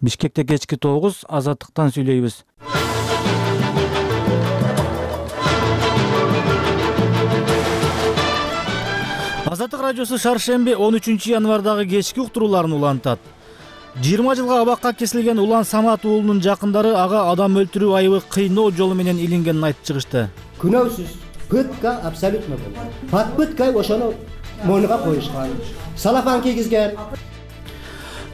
Бишкекте кечки 9, Азаттыктан сүйлөйбүз. Азаттык радиосу шаршемби 13 январдагы кечки уктурууларын улантат. 20 жылга абакка кесилген Улан Самат уулунун жакындары ага адам өлтүрүү айыбы кыйноо жолу менен илингенин айтып чыгышты. Күнөөсүз пытка абсолютно болгон. Под пыткой ошону мойнуга коюшкан. Салафан кийгизген.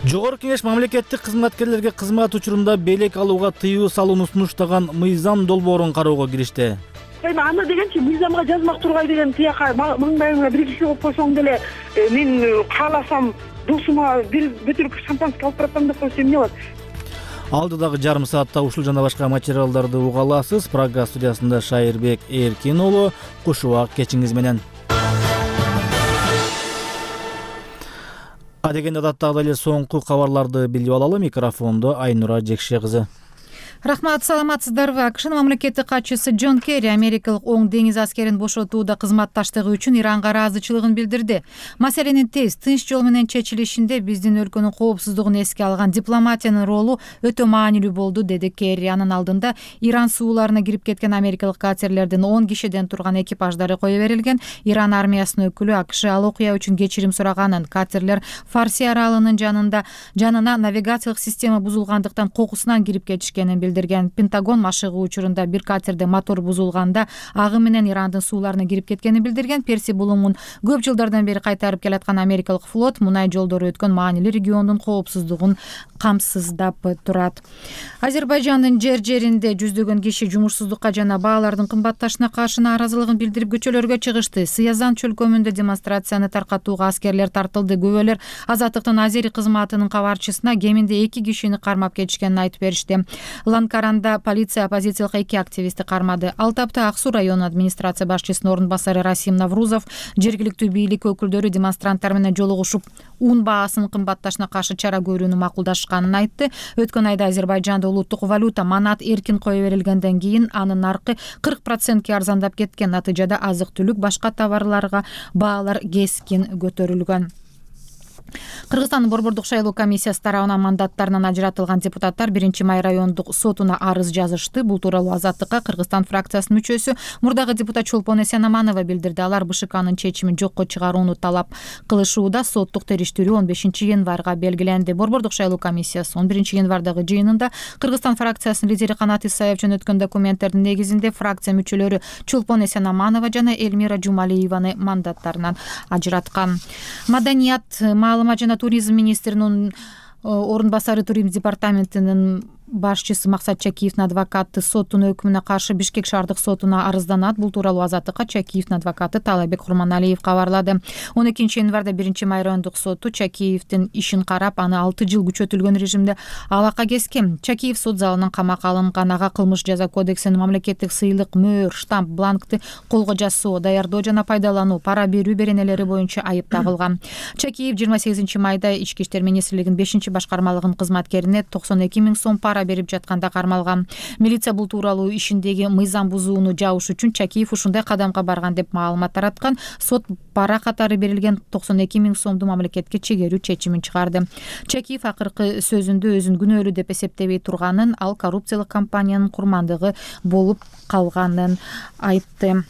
Жогорку кеңеш мамлекеттик кызматкерлерге кызмат учурунда белек алууга тыюу салууну сунуштаган мыйзам долбоорун кароого киришти. Эми аны дегенчи мыйзамга жазмак тургай деген тияка маңдайыңа бир киши коюп койсоң деле мен кааласам досума бир бөтөлкө шампанский алып баратам деп койсо эмне болот? Алдыдагы жарым саатта ушул жана башка материалдарды уга аласыз. Программа студиясында Шайырбек Эркин уулу. Кушубак кечиңиз менен. Адегенде адаттагы эле соңку кабарларды билип алалы. Микрофондо Айнура Жекше кызы. Рахмат, саламатсыздарбы? АКШнын мамлекеттик катчысы Джон Керри америкалык Оң деңиз аскерин бошотууда кызматташтыгы үчүн Иранга ыраазычылыгын билдирди. Маселенин тез, тынч жол менен чечилишинде биздин өлкөнүн коопсуздугун эске алган дипломатиянын ролу өтө маанилүү болду, деди Керри. Анын алдында Иран сууларына кирип кеткен америкалык катерлердин 10 кишиден турган экипаждары кое берилген. Иран армиясынын өкүлү АКШ ал окуя үчүн кечирим сураганын, катерлер Фарси аралынын жанына навигациялык система бузулгандыктан кокусунан кирип кетишкенин билдирген. Пентагон машыгуу учурунда бир катерде мотор бузулганда агы менен Ирандын сууларына кирип кеткенин билдирген. Перси булуңун көп жылдардан бери кайтарып келаткан америкалык флот мунай жолдору өткөн маанилүү региондун коопсуздугун камсыздап турат. Азербайжандын жеринде жүздөгөн киши жумушсуздукка жана баалардын кымбатташына каршы нааразылыгын билдирип көчөлөргө чыгышты. Сыязан чөлкөмүндө демонстрацияны таркатууга аскерлер тартылды. Күбөлөр Азаттыктын Азери кызматынын кабарчысына кеминде 2 кишини кармап кетишкенин айтып беришти. Ланкаранда полиция оппозициялык 2 активистти кармады. Ал тапта Ак Суу районунун администрация башчысынын орун басары Расим Наврузов жергиликтүү бийлик өкүлдөрү демонстранттар менен жолугушуп ун баасынын кымбатташына каршы чара көрүүнү макулдашканын айтты. Өткөн айда Азербайжанда улуттук валюта манат эркин кое берилгенден кийин анын наркы 40% арзандап кеткен. Натыйжада азык-түлүк, башка товарларга баалар кескин көтөрүлгөн. Кыргызстандын борбордук шайлоо комиссиясы тарабынан мандаттарынан ажыратылган депутаттар 1-май райондук сотуна арыз жазышты. Бул тууралуу Азаттыкка Кыргызстан фракциясынын мүчөсү мурдагы депутат Чолпон Эсенаманова билдирди. Алар БШКнын чечимин жокко чыгарууну талап кылышууда. Соттук териштирүү 15 январга белгиленди. Борбордук шайлоо комиссиясы 11 январдагы жыйынында Кыргызстан фракциясынын лидери Канат Исаев жөнөткөн документтердин негизинде фракция мүчөлөрү Чолпон Эсенаманова жана Эльмира Жумалиеваны мандаттарынан ажыраткан. Маданият, маалымат жана туризм министринин орун басары туризм департаментинин башчысы Максат Чакиевдин адвокаты соттун өкүмүнө каршы Бишкек шаардык сотуна арызданат. Бул тууралуу Азаттыкка Чакиевдин адвокаты Талайбек Курманалиев кабарлады. 12 январда 1-май райондук соту Чакиевдин ишин карап, аны 6 жыл күчөтүлгөн режимде абакка кескен. Чакиев сот залынан камакка алынган. Ага кылмыш жаза кодексинин мамлекеттик сыйлык, мөөр, штамп, бланкты колго жасоо, даярдоо жана пайдалануу, пара берүү беренелери боюнча айып тагылган. Чакиев 28 майда Ички иштер министрлигинин 5-башкармалыгынын кызматкерине 92 000 сом пара берип жатканда кармалган. Милиция бул тууралуу ишиндеги мыйзам бузууну жабыш үчүн Чакиев ушундай кадамга барган деп маалымат тараткан. Сот пара катары берилген 92 000 сомду мамлекетке чегерүү чечимин чыгарды. Чакиев акыркы сөзүндө өзүн күнөөлүү деп эсептебей турганын, ал коррупциялык компаниянын курмандыгы болуп калганын айтты.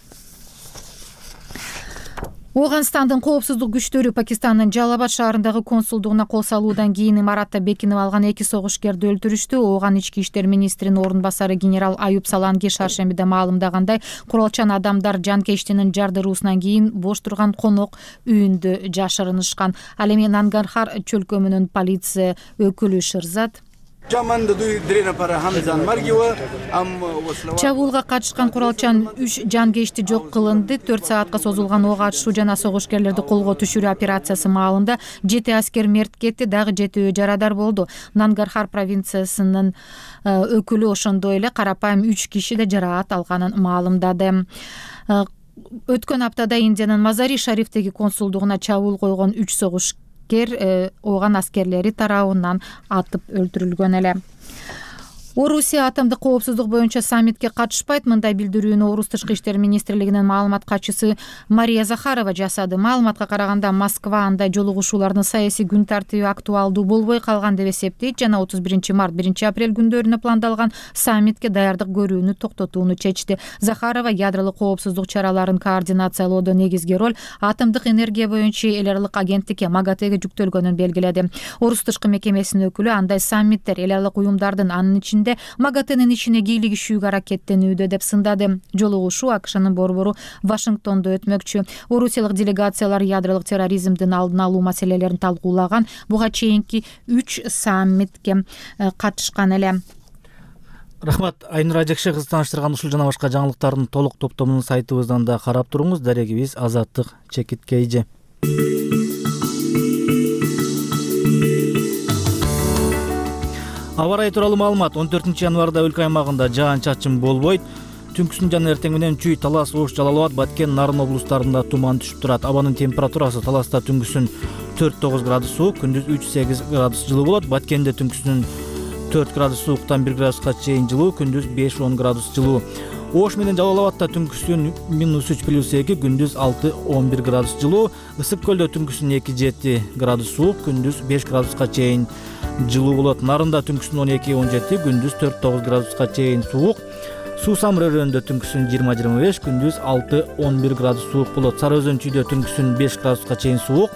Оганстандын коопсуздук күчтөрү Пакистандын Жалалабад шаарындагы консулдугуна кол салуудан кийин имаратта бекинип алган 2 согушкерди өлтүрүштү. Ооган ички иштер министринин орун басары генерал Аюб Саланги шаршембиде маалымдагандай, куралчан адамдар жанкештинин жардыруусунан кийин бош турган конок үйүндө жашырынышкан. Ал эми Нангархар чөлкөмүнүн полиция өкүлү Шырзат чабуулга катышкан куралчан 3 жанкечти жок кылынды. 4 саатка созулган ок атышуу жана согушкерлерди колго түшүрүү операциясы маалында 7 аскер мерт кетти, дагы 7 жарадар болду. Нангархар провинциясынын өкүлү ошондой эле карапайым 3 киши да жараат алганын маалымдады. Өткөн аптада Индиянын Мазари Шарифтеги консулдугуна чабуул койгон 3 согушкер Ооган аскерлери тарабынан атып өлтүрүлгөн эле. Орусия атомдук коопсуздук боюнча саммитке катышпайт. Мындай билдирүүнү Орус тышкы иштер министрлигинин маалымат катчысы Мария Захарова жасады. Маалыматка караганда Москва андай жолугушуулардын саясий күн тартиби актуалдуу болбой калган деп эсептейт жана 31 март 1 апрель күндөрүнө пландалган саммитке даярдык көрүүнү токтотууну чечти. Захарова ядролук коопсуздук чараларын координациялоодо негизги роль атомдук энергия боюнча эл аралык агенттикке МАГАТЭге жүктөлгөнүн белгиледи. Орус тышкы мекемесинин өкүлү андай саммиттер эл аралык уюмдардын анын ичинде МАГАТЭнин ишине кийлигишүүгө аракеттенүүдө деп сындады. Жолугушуу АКШнын борбору Вашингтондо өтмөкчү. Орусиялык делегациялар ядролук терроризмдин алдын алуу маселелерин талкуулаган. Буга чейинки 3 саммитке катышкан эле. Рахмат, Айнур Ажекше кызы тааныштырган ушул жана башка жаңылыктардын толук топтомун сайтыбыздан да карап туруңуз. Дарегибиз Азаттык Чекиткейже. Аба ырайы тууралуу маалымат. 14 январда өлкө аймагында жаан-чачын болбойт. Түнкүсүн жана эртең менен Чүй, Талас, Ош, Жалал Абад, Баткен, Нарын облустарында туман түшүп турат. Абанын температурасы Таласта түнкүсүн 4-9 градус суук, күндүз 3-8 градус жылуу болот. Баткенде түнкүсүн 4 градус сууктан 1 градуска чейин жылуу, күндүз 5-10 градус жылуу. Ош менен Жалал Абадта түнкүсүн -3+2, күндүз 6-11 градус жылуу. Ысык көлдө түнкүсүн 2-7 градус суук, күндүз 5 градуска чейин жылуу болот. Нарында түнкүсүн 12-17, күндүз 4-9 градуска чейин суук. Суу Самыр өрөөнүндө түнкүсүн 20-25, күндүз 6-11 градус суук болот. Сары Өзөн Чүйдө түнкүсүн 5 градуска чейин суук,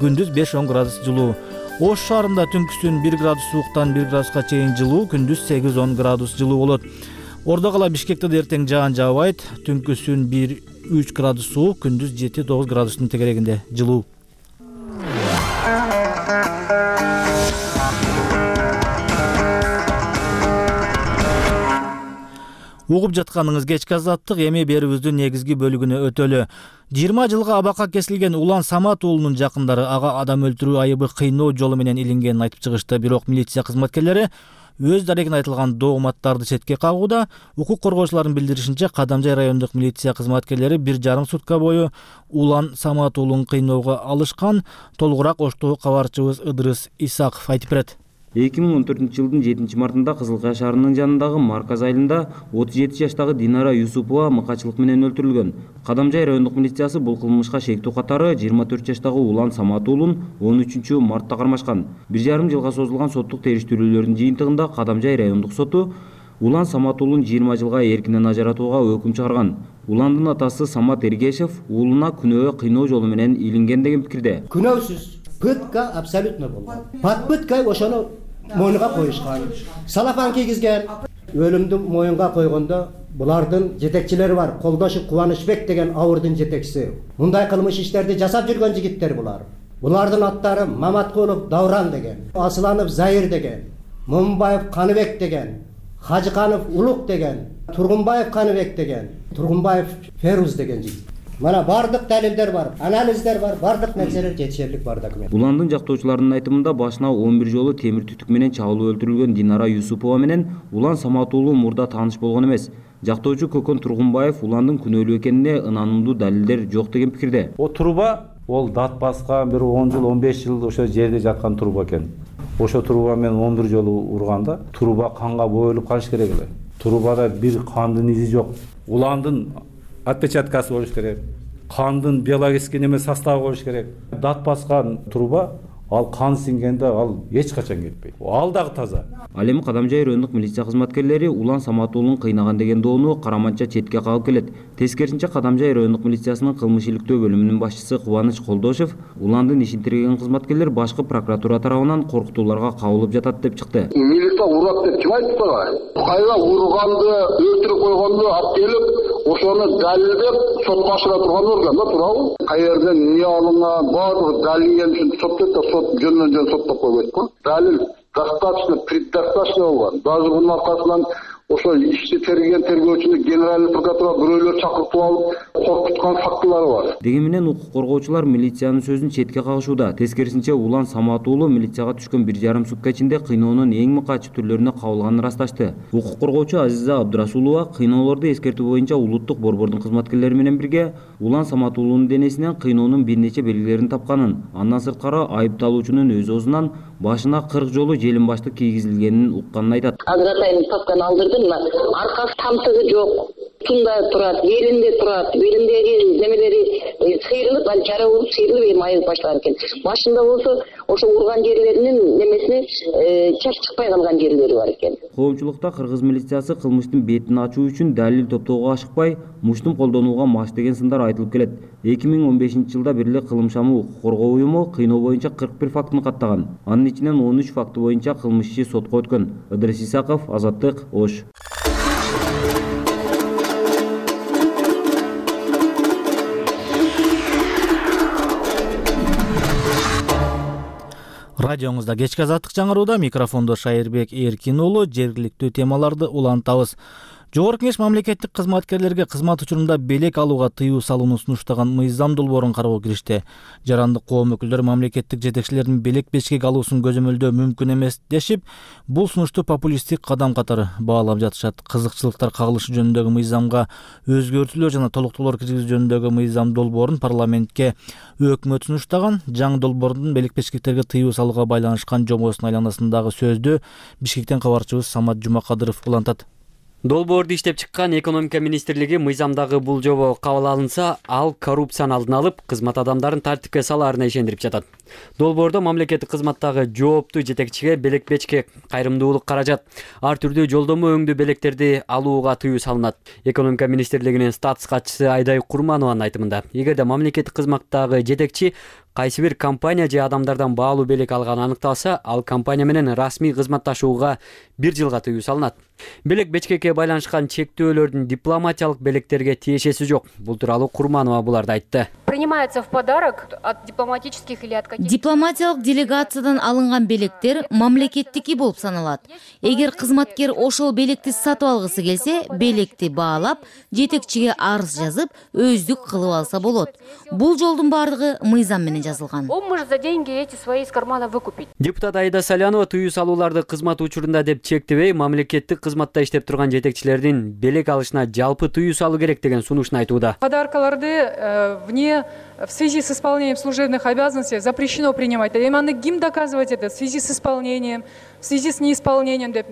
күндүз 5-10 градус жылуу. Ош шаарында түнкүсүн 1 градус сууктан 1 градуска чейин жылуу, күндүз 8-10 градус жылуу болот. Ордо кала Бишкекте да эртең жаан жаабайт. Түнкүсүн 1-3 градус суук, күндүз 7-9 градустун тегерегинде жылуу. Угуп жатканыңыз кечки азаттык, эми берүүбүздүн негизги бөлүгүнө өтөлү. 20 жылга абакка кесилген Улан Самат уулунун жакындары ага адам өлтүрүү айыбы кыйноо жолу менен илингенин айтып чыгышты. Бирок милиция кызматкерлери өз дарегине айтылган дооматтарды четке кагууда. Укук коргоочулардын билдиришинче, Кадамжай райондук милиция кызматкерлери 1,5 сутка бою Улан Самат уулун кыйноого алышкан. Толугураак Оштогу кабарчыбыз Ыдырыс Исаков айтып берет. 2014 жылдын 7 мартында Кызыл Кая шаарынын жанындагы Марказ айылында 37 жаштагы Динара Юсупова мыкачылык менен өлтүрүлгөн. Кадамжай райондук милициясы бул кылмышка шектүү катары 24 жаштагы Улан Самат уулун 13 мартта кармашкан. 1,5 жылга созулган соттук териштирүүлөрдүн жыйынтыгында Кадамжай райондук соту Улан Самат уулун 20 жылга эркинен ажыратууга өкүм чыгарган. Уландын атасы Самат Эргешев уулуна күнөө кыйноо жолу менен илинген деген пикирде. Күнөөсүз пытка абсолютно болгон. Под пыткой ошону мойнуга коюшкан. Салафан кийгизген. Өлүмдү моюнга койгондо булардын жетекчилери бар. Колдошуп Кубанычбек деген ауырдын жетекчиси. Мындай кылмыш иштерди жасап жүргөн жигиттер булар. Булардын аттары Маматкулов Давран деген, Асланов Заир деген, Момунбаев Каныбек деген, Хажыканов Улук деген, Тургунбаев Каныбек деген, Тургунбаев Феруз деген жигит. Мана бардык далилдер бар, анализдер бар, бардык нерселер жетишерлик бар документ. Уландын жактоочуларынын айтымында башына 11 жолу темир түтүк менен чабылып өлтүрүлгөн Динара Юсупова менен Улан Самат уулу мурда тааныш болгон эмес. Жактоочу Көкөн Тургунбаев Уландын күнөөлүү экенине ынанымдуу далилдер жок деген пикирде. О труба ол дат баскан бир 10 жыл, 15 жыл ошо жерде жаткан труба экен. Ошо труба менен 11 жолу урганда труба канга боелуп калыш керек эле. Трубада бир кандын изи жок. Уландын отпечаткасы болуш керек. Кандын биологический неме составы болуш керек. Дат баскан труба ал кан сиңгенде ал эч качан кетпейт. Ал дагы таза. Ал эми Кадамжай райондук милиция кызматкерлери Улан Самат уулун кыйнаган деген доону караманча четке кагып келет. Тескерисинче Кадамжай райондук милициясынын кылмыш иликтөө бөлүмүнүн башчысы Кубаныч Колдошев Уландын ишин тергеген кызматкерлер башкы прокуратура тарабынан коркутууларга кабылып жатат деп чыкты. Милиция урат деп ким айтты ага? Кайра урганды, өлтүрүп койгонду алып келип, ошону далилдеп сотко ашыра турган орган да туурабы? Каерден эмне алынган, баардыгы далилден үчүн соттойт да сот жөндөн соттоп койбойт го. Далил достаточно, предостаточно болгон. Даже бунун аркасынан ошо ишти терген тергөөчүнү генеральный прокуратура бирөөлөр чакыртып алып коркуткан фактылары бар. Дегенменен укук коргоочулар милициянын сөзүн четке кагышууда. Тескерисинче Улан Самат уулу милицияга түшкөн 1,5 сутка ичинде кыйноонун эң мыкаачы түрлөрүнө кабылганын ырасташты. Укук коргоочу Азиза Абдырасулова кыйноолорду эскертүү боюнча улуттук борбордун кызматкерлери менен бирге Улан Самат уулунун денесинен кыйноонун бир нече белгилерин тапканын, андан сырткары айыпталуучунун өз оозунан башына 40 жолу желим баштык кийгизилгенин укканын айтат. Азыр атайын папканы алдырдым, аркасы тамтыгы жок. Тунда турат, белинде турат, белиндеги немелери сыйрылып, ал жара болуп сыйрылып эми айыгып баштаган экен. Башында болсо ошо урган жерлеринин немесине чач чыкпай калган жерлери бар экен. Коомчулукта кыргыз милициясы кылмыштын бетин ачуу үчүн далил топтоого ашыкпай, муштум колдонууга маш деген сындар айтылып келет. 2015-жылда Бирлик Кылымшамы укук коргоо уюму кыйноо боюнча 41 фактын каттаган. Анын ичинен 13 факты боюнча кылмыш иши сотко өткөн. Ыдырыс Исаков, Азаттык, Ош. Радионузда кечки азаттык жаңырууда микрофондо Шайырбек Эркин уулу. Жергиликтүү темаларды улантабыз. Жогорку Кеңеш мамлекеттик кызматкерлерге кызмат учурунда белек алууга тыюу салууну сунуштаган мыйзам долбоорун кароого киришти. Жарандык коом өкүлдөрү мамлекеттик жетекчилердин белек бечкек алуусун көзөмөлдөө мүмкүн эмес дешип, бул сунушту популисттик кадам катары баалап жатышат. Кызыкчылыктар кагылышы жөнүндөгү мыйзамга өзгөртүүлөр жана толуктоолор киргизүү жөнүндөгү мыйзам долбоорун парламентке өкмөт сунуштаган. Жаңы долбоордун белек бечкектерге тыюу салууга байланышкан жобосунун айланасындагы сөздү Бишкектен кабарчыбыз Самат Жумакадыров улантат. Долбоорду иштеп чыккан экономика министрлиги мыйзамдагы бул жобо кабыл алынса, ал коррупцияны алдын алып, кызмат адамдарын тартипке салаарына ишендирип жатат. Долбоордо мамлекеттик кызматтагы жооптуу жетекчиге белек бечкек, кайрымдуулук каражат, ар түрдүү жолдомо өңдүү белектерди алууга тыюу салынат. Экономика министрлигинин статус катчысы Айдай Курманованын айтымында, эгерде мамлекеттик кызматтагы жетекчи кайсы бир компания же адамдардан баалуу белек алганы аныкталса, ал компания менен расмий кызматташууга 1 жылга тыюу салынат. Белек бечкекке байланышкан чектөөлөрдүн дипломатиялык белектерге тиешеси жок. Бул тууралуу Курманова буларды айтты. Принимается в подарок от дипломатических или от каких-то... Дипломатиялык делегациядан алынган белектер мамлекеттики болуп саналат. Эгер кызматкер ошол белекти сатып алгысы келсе, белекти баалап, жетекчиге арыз жазып, өздүк кылып алса болот. Бул жолдун бардыгы мыйзам менен жазылган. Он может за деньги эти свои из кармана выкупить. Депутат Айда Салянова тыюу салууларды кызмат учурунда деп чектебей, мамлекеттик кызматта иштеп турган жетекчилердин белек алышына жалпы тыюу салуу керек деген сунушун айтууда. Подаркаларды в связи с исполнением служебных обязанностей запрещено принимать. Эми аны ким доказывать это в связи с исполнением, в связи с неисполнением деп.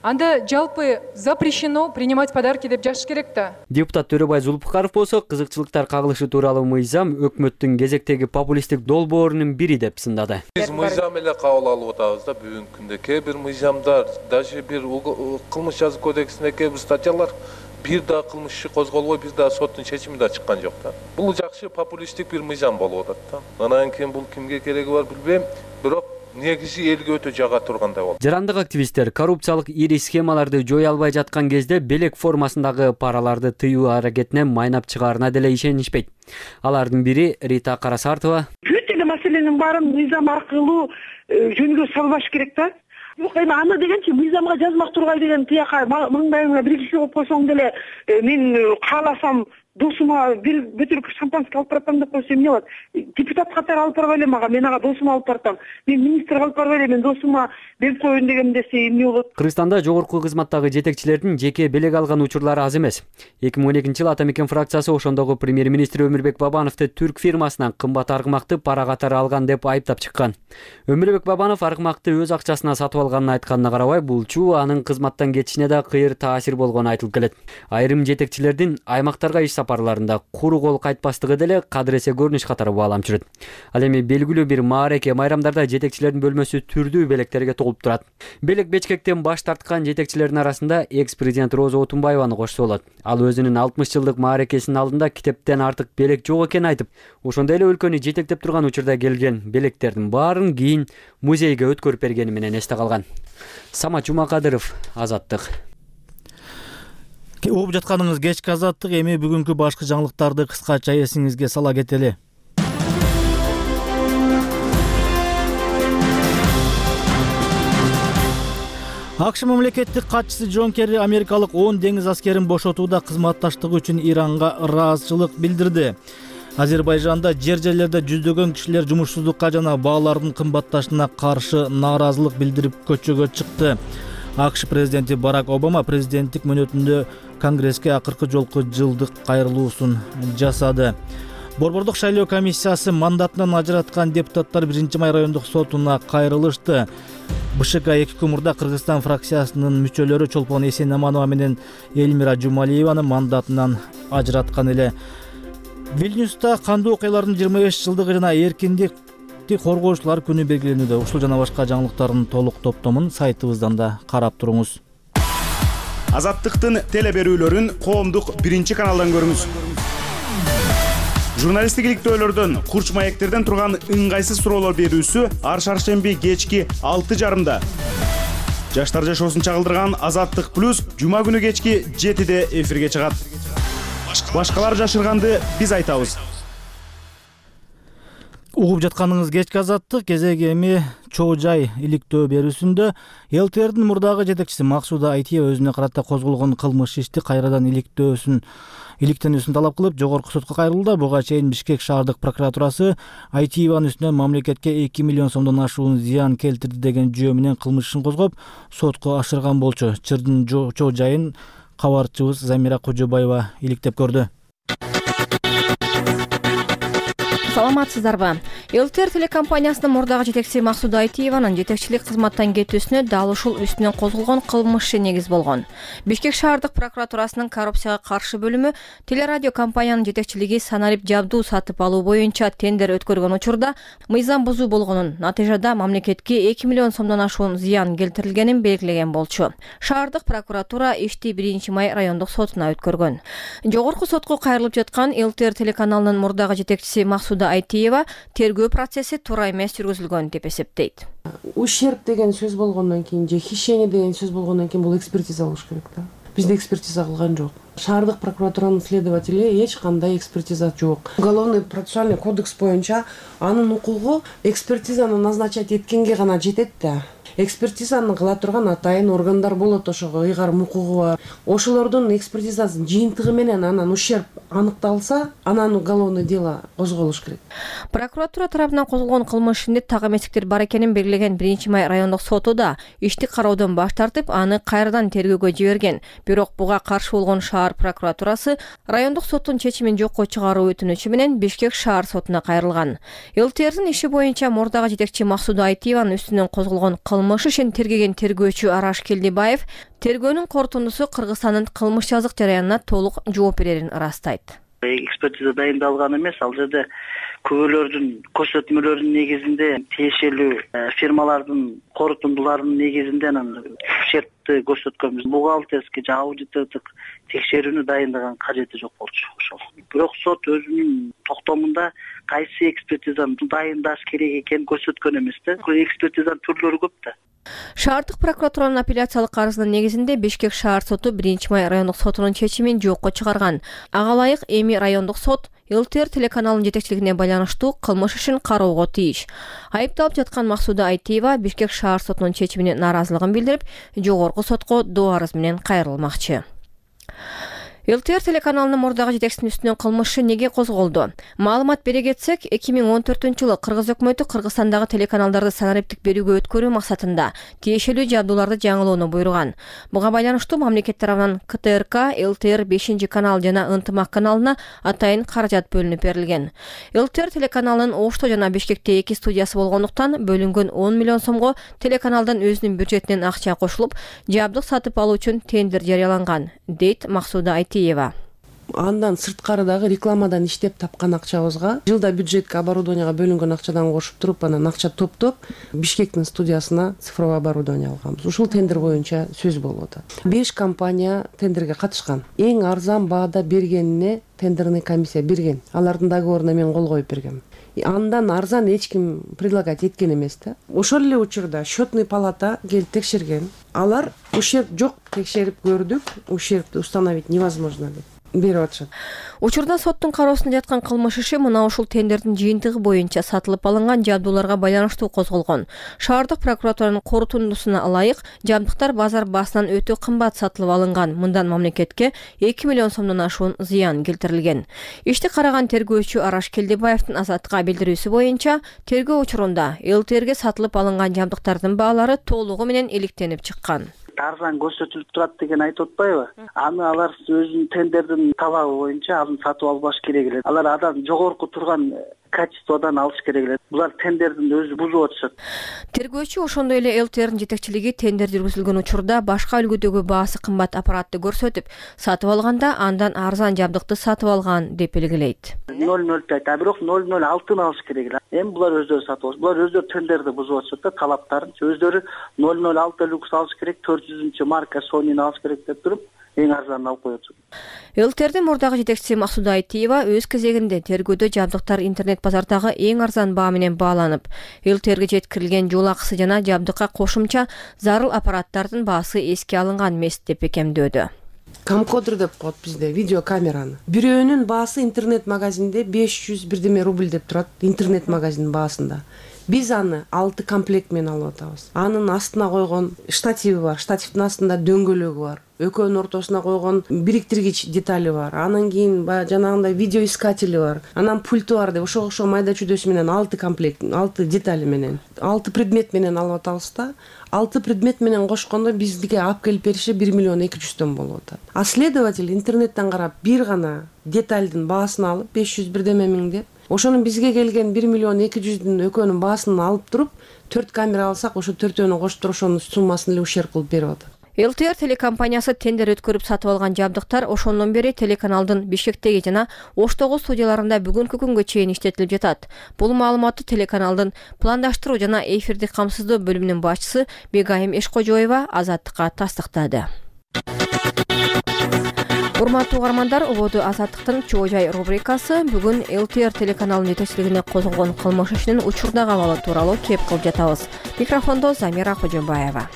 Анда жалпы запрещено принимать подарки деп жазыш керек да. Депутат Төрөбай Зулпукаров болсо, кызыкчылыктар кагылышы тууралуу мыйзам өкмөттүн кезектеги популисттик долбоорунун бири деп сындады. Биз мыйзам эле кабыл алып атабыз да бүгүнкү күндө. Кээ бир мыйзамдар, даже бир кылмыш жазуу кодексинде кээ бир статьялар бир да кылмыш иши козголбой, бир да соттун чечими да чыккан жок да. Бул жакшы популисттик бир мыйзам болуп атат да. Анан кийин бул кимге кереги бар билбейм, бирок негизи элге өтө жага тургандай болду. Жарандык активисттер коррупциялык ири схемаларды жоя албай жаткан кезде белек формасындагы параларды тыюу аракетине майнап чыгаарына деле ишенишпейт. Алардын бири Рита Карасартова. Бүт эле маселенин баарын мыйзам аркылуу жөнгө салбаш керек да. Жок, эми аны дегенчи мыйзамга жазмак тургай деген тияка маңдайыңа бир киши коюп койсоң деле мен кааласам досума бир бөтөлкө шампанский алып баратам деп койсо эмне болот? Депутат катары алып барбай эле мага, мен ага досума алып баратам. Мен министр алып барбай эле, мен досума берип коеюн дегем десе эмне болот? Кыргызстанда жогорку кызматтагы жетекчилердин жеке белек алган учурлары аз эмес. 2012-жылы Атамекен фракциясы ошондогу премьер-министр Өмүрбек Бабановду түрк фирмасынан кымбат аргымакты пара катары алган деп айыптап чыккан. Өмүрбек Бабанов аргымакты өз акчасына сатып алганын айтканына карабай, булчу анын кызматтан кетишине да кыйыр таасир болгону айтылып келет. Айрым жетекчилердин аймактарга иш сапарларында куру кол кайтпастыгы деле кадыресе көрүнүш катары бааланып жүрөт. Ал эми белгилүү бир маареке майрамдарда жетекчилердин бөлмөсү түрдүү белектерге толуп турат. Белек бечкектен баш тарткан жетекчилердин арасында экс-президент Роза Отунбаеваны кошсо болот. Ал өзүнүн 60 жылдык маарекесинин алдында китептен артык белек жок экенин айтып, ошондой эле өлкөнү жетектеп турган учурда келген белектердин баарын кийин музейге өткөрүп бергени менен эсте калган. Самат Жумакадыров, Азаттык. Угуп жатканыңыз кечки азаттык. Эми бүгүнкү башкы жаңылыктарды кыскача эсиңизге сала кетели. АКШ мамлекеттик катчысы Джон Керри америкалык 10 деңиз аскерин бошотууда кызматташтыгы үчүн Иранга ыраазычылык билдирди. Азербайжанда жер-жерлерде жүздөгөн кишилер жумушсуздукка жана баалардын кымбатташына каршы нааразылык билдирип көчөгө чыкты. АКШ президенти Барак Обама президенттик мөөнөтүндө Конгресске акыркы жолку жылдык кайрылуусун жасады. Борбордук шайлоо комиссиясы мандатынан ажыраткан депутаттар 1-май райондук сотуна кайрылышты. БШК-2 мурда Кыргызстан фракциясынын мүчөлөрү Чолпон Эсен-Аманова менен Эльмира Жумалиеваны мандатынан ажыраткан эле. Вильнюста кандуу окуялардын 25 жылдыгы жана эркиндикти коргоочулар күнү белгиленүүдө. Ушул жана башка жаңылыктардын толук топтомун сайтыбыздан да карап туруңуз. Азаттыктын теле берүүлөрүн коомдук 1-каналдан көрүңүз. Журналисттик иликтөөлөрдөн, курч маектерден турган ыңгайсыз суроолор берүүсү ар шаршемби кечки 6:30. Жаштар жашоосун чагылдырган Азаттык плюс жума күнү кечки 7-де эфирге чыгат. Башкалар жашырганды биз айтабыз. Угуп жатканыңыз кечки Азаттык кезеги эми чоо жай иликтөө берүүсүндө ЛТРдин мурдагы жетекчиси Максуда Айтиева өзүнө карата козголгон кылмыш ишти кайрадан иликтенүүсүн талап кылып жогорку сотко кайрылды. Буга чейин Бишкек шаардык прокуратурасы Айтиеванын үстүнөн мамлекетке 2 миллион сомдон ашуун зыян келтирди деген жөө менен кылмыш ишин козгоп сотко ашырган болчу. Чырдын чоо жайын кабарчыбыз Замира Кожобаева иликтеп көрдү. Саламатсыздарбы? ЛТР телекомпаниясынын мурдагы жетекчиси Максуда Айтиеванын жетекчилик кызматтан кетүүсүнө дал ушул үстүнөн козголгон кылмыш иши негиз болгон. Бишкек шаардык прокуратурасынын коррупцияга каршы бөлүмү телерадио компаниянын жетекчилиги санарип жабдуу сатып алуу боюнча тендер өткөргөн учурда мыйзам бузуу болгонун, натыйжада мамлекетке 2 миллион сомдон ашуун зыян келтирилгенин белгилеген болчу. Шаардык прокуратура ишти 1-май райондук сотуна өткөргөн. Жогорку сотко кайрылып жаткан ЛТР телеканалынын мурдагы жетекчиси Максуда Айтиева тергөө процесси туура эмес жүргүзүлгөн деп эсептейт. Ущерб деген сөз болгондон кийин же хищение деген сөз болгондон кийин бул экспертиза болуш керек да. Бизде экспертиза кылган жок. Шаардык прокуратуранын следователи эч кандай экспертиза жок. Уголовный процессуальный кодекс боюнча анын укугу экспертизаны назначать эткенге гана жетет да. Экспертизаны кыла турган атайын органдар болот, ошого ыйгарым укугу бар. Ошолордун экспертизасынын жыйынтыгы менен анан ущерб аныкталса, анан уголовный дело козголуш керек. Прокуратура тарабынан козголгон кылмыш ишинде так эместиктер бар экенин белгилеген 1-май райондук соту да ишти кароодон баш тартып, аны кайрадан тергөөгө жиберген. Бирок буга каршы болгон шаар прокуратурасы райондук соттун чечимин жокко чыгаруу өтүнүчү менен Бишкек шаар сотуна кайрылган. ЛТРдин иши боюнча мурдагы жетекчи Максуда Айтиеванын үстүнөн козголгон кылмыш ишин тергеген тергөөчү Араш Келдибаев тергөөнүн корутундусу Кыргызстандын кылмыш жазык жараянына толук жооп берерин ырастайт. Экспертиза дайындалган эмес, ал жерде күбөлөрдүн көрсөтмөлөрүнүн негизинде тиешелүү фирмалардын корутундуларынын негизинде ущербти көрсөткөнбүз. Бухгалтерский же аудитордук текшерүүнү дайындаган кажети жок болчу ошол. Бирок сот өзүнүн токтомунда кайсы экспертизаны дайындаш керек экенин көрсөткөн эмес да. Экспертизанын түрлөрү көп да. Шаардык прокуратуранын апелляциялык арызынын негизинде Бишкек шаар соту 1-май райондук сотунун чечимин жокко чыгарган. Ага ылайык эми райондук сот ЛТР телеканалынын жетекчилигине байланыштуу кылмыш ишин кароого тийиш. Айыпталып жаткан Максуда Айтиева Бишкек шаар сотунун чечимине нааразылыгын билдирип, жогорку сотко доо арыз менен кайрылмакчы. ЛТР телеканалынын мурдагы жетекчисинин үстүнөн кылмыш неге козголду? Маалымат бере кетсек, 2014-жылы Кыргыз өкмөтү Кыргызстандагы телеканалдарды санариптик берүүгө өткөрүү максатында тиешелүү жабдууларды жаңылоону буйруган. Буга байланыштуу мамлекет тарабынан КТРК, ЛТР 5-канал жана Ынтымак каналына атайын каражат бөлүнүп берилген. ЛТР телеканалынын Ошто жана Бишкекте 2 студиясы болгондуктан бөлүнгөн 10 миллион сомго телеканалдын өзүнүн бюджетинен акча кошулуп, жабдык сатып алуу үчүн тендер жарыяланган, дейт Максуда Айтиева. Андан сырткарыдагы рекламадан иштеп тапкан акчабызга жылда бюджетке оборудованияга бөлүнгөн акчадан кошуп туруп, анан акча топтоп Бишкектин студиясына цифровой оборудование алганбыз. Ушул тендер боюнча сөз болуп атат. 5 компания тендерге катышкан. Эң арзан баада бергенине тендерный комиссия берген. Алардын договоруна мен кол коюп бергем. Андан арзан эч ким предлагать эткен эмес да. Ошол эле учурда счетный палата келип текшерген. Алар ущерб жок, текшерип көрдүк, ущербти установить невозможно деп. берип атышат. Учурда соттун кароосунда жаткан кылмыш иши мына ушул тендердин жыйынтыгы боюнча сатылып алынган жабдууларга байланыштуу козголгон. Шаардык прокуратуранын корутундусуна ылайык жабдыктар базар баасынан өтө кымбат сатылып алынган. Мындан мамлекетке 2 миллион сомдон ашуун зыян келтирилген. Ишти караган тергөөчү Араш Келдебаевдин Азаттыкка билдирүүсү боюнча, тергөө учурунда ЛТРге сатылып алынган жабдыктардын баалары толугу менен иликтенип чыккан. Арзан көрсөтүлүп турат деген айтып атпайбы? Аны алар өзүнүн тендердин талабы боюнча аны сатып албаш керек эле. Алар адам жогорку турган качестводан алыш керек эле. Булар тендердин өзү бузуп атышат. Тергөөчү ошондой эле ЛТРдин жетекчилиги тендер жүргүзүлгөн учурда башка үлгүдөгү баасы кымбат аппаратты көрсөтүп, сатып алганда андан арзан жабдыкты сатып алган деп белгилейт. 0,0 а бирок 0,06 алыш керек эле. Эми булар өздөрү сатып алыш. Булар өздөрү тендерди бузуп атышат да, талаптарын. Өздөрү 0,06 люкс алыш керек, 400 марка Sony'ни алыш керек деп туруп, эң арзанын алып коет. ЛТРдин мурдагы жетекчиси Максуда Айтиева өз кезегинде тергөөдө жабдыктар интернет базардагы эң арзан баа менен бааланып, ЛТРге жеткирилген жол акысы жана жабдыкка кошумча зарыл аппараттардын баасы эске алынган эмес деп бекемдөөдө. Камкодер деп коет бизде, видеокамераны. Бирөөнүн баасы интернет магазинде 500 бирдеме рубль деп турат, интернет магазинин баасында. Биз аны 6 комплект менен алып атабыз. Анын астына койгон штативи бар, штативдин астында дөңгөлөгү бар. Экөөнүн ортосуна койгон бириктиргич детали бар. Анан кийин жанагындай видеоискатели бар. Анан пульту бар деп ошо майда чүдөсү менен 6 комплект, 6 детали менен, 6 предмет менен алып атабыз да. 6 предмет менен кошкондо биздике алып келип бериши 1 миллион 200 болуп атат. А следователь интернеттен карап бир гана детальдин баасын алып 500 бирдеме миң деп, ошонун бизге келген 1 миллион 200 экөөнүн баасын алып туруп, 4 камера алсак, ошо төртөөнү коштуруп ошонун суммасын эле ушерп кылып берип атат. ЛТР телекомпаниясы тендер өткөрүп сатып алган жабдыктар ошондон бери телеканалдын Бишкектеги жана Оштогу студияларында бүгүнкү күнгө чейин иштетилип жатат. Бул маалыматты телеканалдын пландаштыруу жана эфирди камсыздоо бөлүмүнүн башчысы Бегайым Эшкожоева Азаттыкка тастыктады. Урматтуу угармандар, ободу Азаттыктын Чоо жай рубрикасы бүгүн ЛТР телеканалынын жетекчилигине козголгон кылмыш ишинин учурдагы абалы тууралуу кеп кылып жатабыз. Микрофондо Замира Кожомбаева.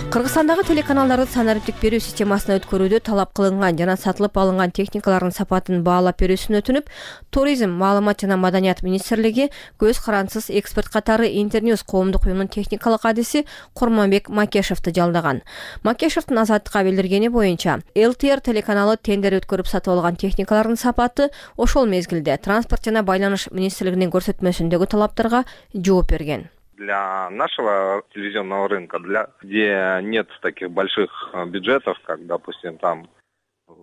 Кыргызстандагы телеканалдарды санариптик берүү системасына өткөрүүдө талап кылынган жана сатылып алынган техникалардын сапатын баалап берүүсүн өтүнүп, Туризм, маалымат жана маданият министрлиги көз карансыз эксперт катары Интерньюз коомдук уюмунун техникалык адиси Курманбек Макешевди жалдаган. Макешевдин Азаттыкка билдиргени боюнча, ЛТР телеканалы тендер өткөрүп сатып алган техникалардын сапаты ошол мезгилде транспорт жана байланыш министрлигинин көрсөтмөсүндөгү талаптарга жооп берген. Для нашего телевизионного рынка, где нет таких больших бюджетов, как, допустим, там.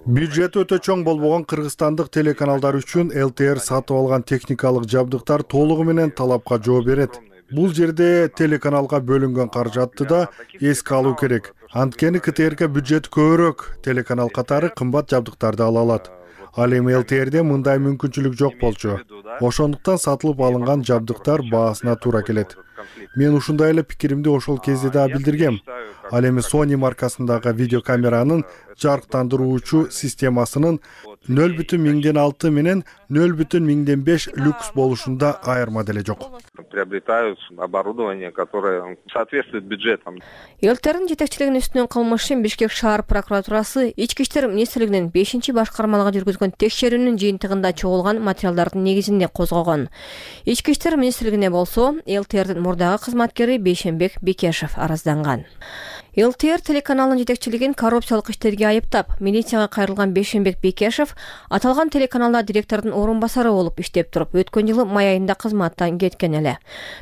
Бюджет өтө чоң болбогон кыргызстандык телеканалдар үчүн ЛТР сатып алган техникалык жабдыктар толугу менен талапка жооп берет. Бул жерде телеканалга бөлүнгөн каражатты да эске алуу керек. Анткени КТРК бюджет көбүрөөк, телеканал катары кымбат жабдыктарды ала алат. Ал эми ЛТРде мындай мүмкүнчүлүк жок болчу. Ошондуктан сатылып алынган жабдыктар баасына туура келет. Мен ушундай эле пикиримди ошол кезде да билдиргем. Ал эми Sony маркасындагы видеокамеранын жарыктандыруучу системасынын 0,6 менен 0,5 люкс болушунда айырма деле жок. Приобретают оборудование, которое соответствует бюджетам. ЛТРдин жетекчилигинин үстүнөн кылмыш ишин Бишкек шаар прокуратурасы Ички иштер министрлигинин 5-башкармалыгы жүргүзгөн текшерүүнүн жыйынтыгында чогулган материалдардын негизинде козгогон. Ички иштер министрлигине болсо ЛТРдин мурдагы кызматкери Бейшенбек Бекешев арызданган. ЛТР телеканалынын жетекчилигин коррупциялык иштерге айыптап, милицияга кайрылган Бейшенбек Бекешев аталган телеканалда директордун орун басары болуп иштеп туруп, өткөн жылы май айында кызматтан кеткен эле.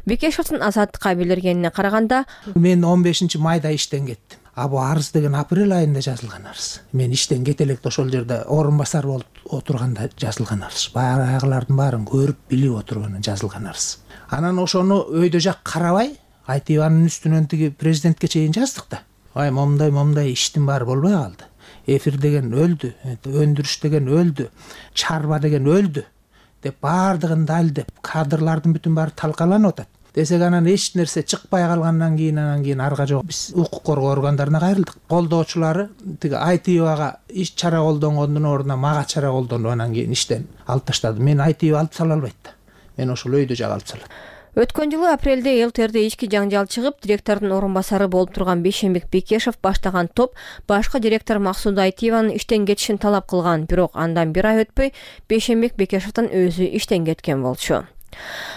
Бекешевдин Азаттыкка билдиргенине караганда, мен 15 майда иштен кеттим. Бул арыз деген апрель айында жазылган арыз. Мен иштен кете электе ошол жерде орун басар болуп отурганда жазылган арыз. Баягылардын баарын көрүп, билип отурганда жазылган арыз. Анан ошону өйдө жак карабай, Айтиеванын үстүнөн тиги президентке чейин жаздык да. Момдай иштин баары болбой калды. Эфир деген өлдү, өндүрүш деген өлдү, чарба деген өлдү деп баардыгын далдеп, кадрлардын бүтүн баары талкаланып атат. Десек анан эч нерсе чыкпай калгандан кийин арга жок биз укук коргоо органдарына кайрылдык. Колдоочулары тиги Айтиевага иш чара колдонгондун ордуна мага чара колдонуп анан кийин иштен алып таштады. Мен Айтиева алып сала албайт да. Мен ошол өйдө жак алып салат. Өткөн жылы апрелде ЛТРде ички жаңжал чыгып, директордун орун басары болуп турган Бейшенбек Бекешев баштаган топ башкы директор Максуда Айтиеванын иштен кетишин талап кылган, бирок андан бир ай өтпөй Бейшенбек Бекешевдин өзү иштен кеткен болчу.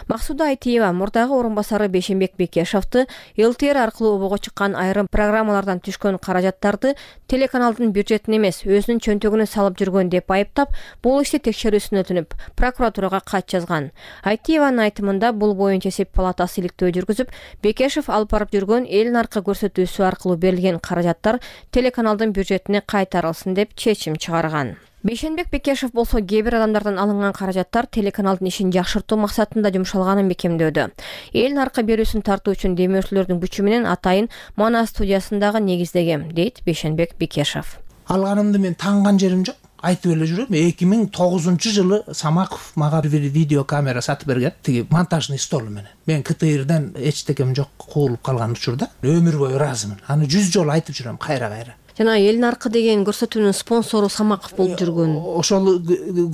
Максуда Айтиева мурдагы орун басары Бейшенбек Бекешевди ЛТР аркылуу обого чыккан айрым программалардан түшкөн каражаттарды телеканалдын бюджетине эмес, өзүнүн чөнтөгүнө салып жүргөн деп айыптап, бул ишти текшерүүсүн өтүнүп, прокуратурага кат жазган. Айтиеванын айтымында бул боюнча эсеп палатасы иликтөө жүргүзүп, Бекешев алып барып жүргөн эл наркы көрсөтүүсү аркылуу берилген каражаттар телеканалдын бюджетине кайтарылсын деп чечим чыгарган. Бейшенбек Бекешев болсо кээ бир адамдардан алынган каражаттар телеканалдын ишин жакшыртуу максатында жумшалганын бекемдөөдө. Эл наркы берүүсүн тартуу үчүн демөөрчүлөрдүн күчү менен атайын Манас студиясындагы негиздегем, дейт Бейшенбек Бекешев. Алганымды мен танган жерим жок. Айтып эле жүрөм. 2009-жылы Самаков мага бир видео камера сатып берген, тиги монтажный стол менен. Мен КТРден эчтекем жок, куулуп калган учурда өмүр бою ыраазымын. Аны 100 жолу айтып жүрөм, кайра. Жана эл наркы деген көрсөтүүнүн спонсору Самаков болуп жүргөн. Ошол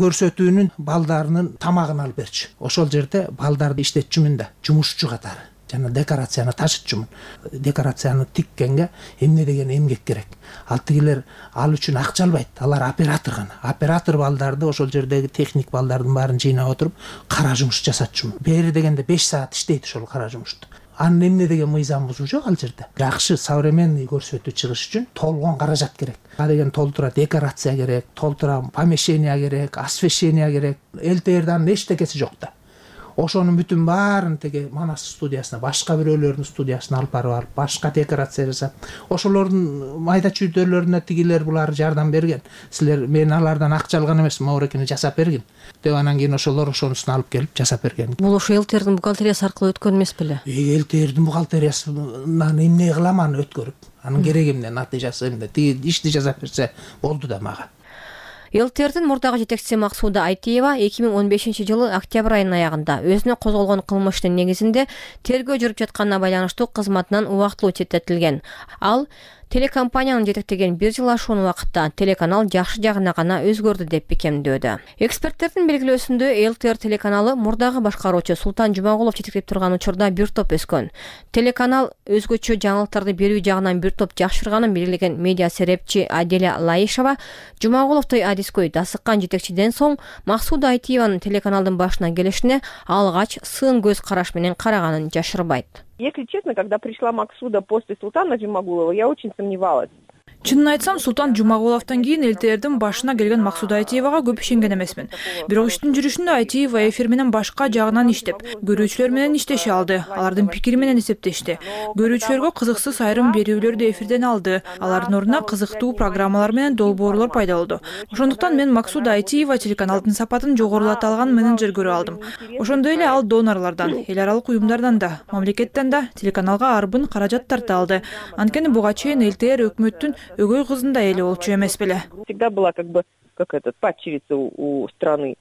көрсөтүүнүн балдарынын тамагын алып берчү. Ошол жерде балдарды иштетчүмүн да, жумушчу катары. Жана декорацияны ташытчумун. Декорацияны тиккенге эмне деген эмгек керек. Ал тигилер ал үчүн акча албайт. Алар оператор гана. Оператор балдарды ошол жердеги техник балдардын баарын жыйнап отуруп, кара жумуш жасатчумун. Бери дегенде 5 саат иштейт ошол кара жумушту. Анын эмне деген мыйзам бузуу жок ал жерде. Жакшы современный көрсөтүү чыгыш үчүн толгон каражат керек. А деген толтура декорация керек, толтура помещение керек, освещение керек. ЛТРдин эчтекеси жок да. Ошонун бүтүн баарын теге Манас студиясына, башка бирөөлөрдүн студиясына алып барып, башка декорация жасап, ошолордун майда чүйдөлөрүнө тигилер булар жардам берген. Силер мен алардан акча алган эмес, моорекени жасап бергин деп анан кийин ошолор ошонусун алып келип жасап берген. Бул ошо ЛТРдин бухгалтериясы аркылуу өткөн эмес беле? ЛТРдин бухгалтериясынан эмне кылам аны өткөрүп? Анын кереги эмне, натыйжасы эмне? Тиги ишти жасап берсе болду да мага. ЛТРдин мурдагы жетекчиси Максуда Айтиева 2015-жылы октябрь айынын аягында өзүнө козголгон кылмыштын негизинде тергөө жүрүп жатканына байланыштуу кызматынан убактылуу четтетилген. Ал телекомпаниянын жетектеген 1 жыл ашуун убакытта телеканал жакшы жагына гана өзгөрдү деп бекемдөөдө. Эксперттердин белгилөөсүндө ЛТР телеканалы мурдагы башкаруучу Султан Жумагулов жетектеп турган учурда бир топ өскөн. Телеканал өзгөчө жаңылыктарды берүү жагынан бир топ жакшырганын белгилеген медиа серепчи Аделя Лаишева Жумагуловдой адискөй дасыккан жетекчиден соң Максуда Айтиеванын телеканалдын башына келишине алгач сын көз караш менен караганын жашырбайт. Если честно, когда пришла Максуда после Султана Жумагулова, я очень сомневалась. Чынын айтсам, Султан Жумагуловдон кийин ЛТРдин башына келген Максуда Айтиевага көп ишенген эмесмин. Бирок иштин жүрүшүндө Айтиева эфир менен башка жагынан иштеп, көрүүчүлөр менен иштеше алды. Алардын пикири менен эсептешти. Көрүүчүлөргө кызыксыз айрым берүүлөрдү эфирден алды. Алардын ордуна кызыктуу программалар менен долбоорлор пайда болду. Ошондуктан мен Максуда Айтиева телеканалдын сапатын жогорулата алган менеджер көрүп алдым. Ошондой эле ал донорлордон, эл аралык уюмдардан да, мамлекеттен да телеканалга арбын каражат тарта алды. Анткени буга чейин ЛТР өкмөттүн өгөй кызында эле болчу эмес беле. Всегда была как падчерица у страны.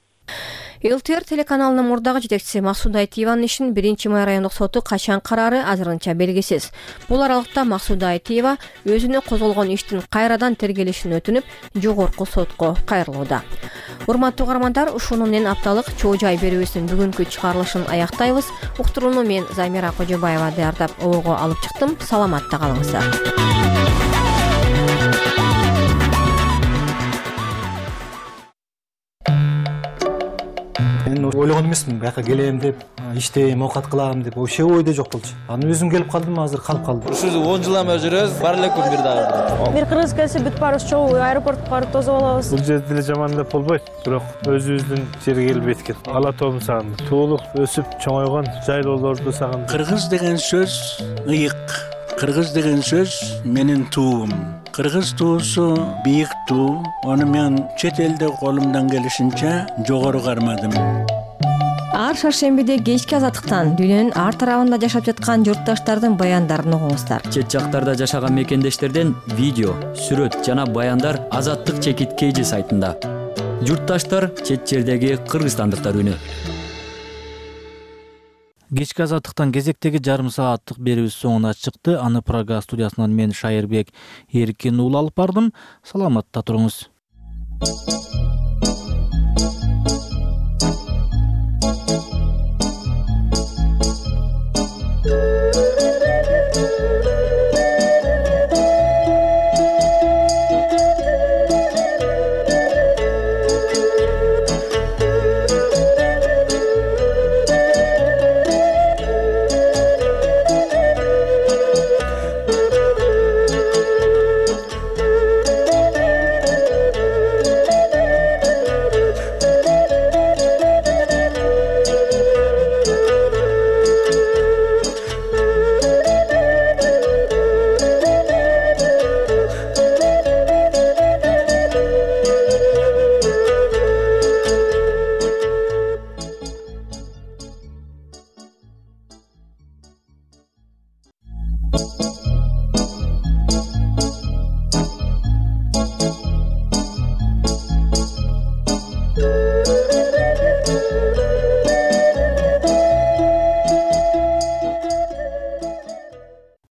ЛТР телеканалынын мурдагы жетекчиси Максуда Айтиеванын ишин 1-май райондук соту качан караары азырынча белгисиз. Бул аралыкта Максуда Айтиева өзүнө козголгон иштин кайрадан тергелишин өтүнүп, жогорку сотко кайрылууда. Урматтуу угармандар, ушуну менен апталык чоо жай берүүбүздүн бүгүнкү чыгарылышын аяктайбыз. Уктурууну мен Замира Кожобаева даярдап обого алып чыктым. Саламатта калыңыздар. Мен ойлогон эмесмин, бияка келем деп, иштейм, оокат кылам деп, вообще ойдо жок болчу. Анан өзүм келип калдым, азыр калып калдым. Ушул 10 жылдан бери жүрөбүз, бар эле күн бир дагы. Бир кыргыз келсе бүт баарыбыз чогуу аэропортко барып тосуп алабыз. Бул жерде деле жаман деп болбойт, бирок өзүбүздүн жерге келбейт экен. Ала тообун сагындым. Туулуп, өсүп, чоңойгон жайлоолорду сагындым. Кыргыз деген сөз ыйык. Кыргыз деген сөз менин туум. Кыргыз туусу бийик туу. Аны мен чет элде колумдан келишинче жогору кармадым. Ар шаршембиде кечки азаттыктан дүйнөнүн ар тарабында жашап жаткан журтташтардын баяндарын угуңуздар. Чет жактарда жашаган мекендештерден видео, сүрөт жана баяндар Азаттык чекит KG сайтында. Журтташтар чет жердеги кыргызстандыктар үнү. Кечки азаттыктан кезектеги жарым сааттык берүүбүз соңуна чыкты. Аны Прага студиясынан мен Шайырбек Эркин уулу алып бардым. Саламатта туруңуз.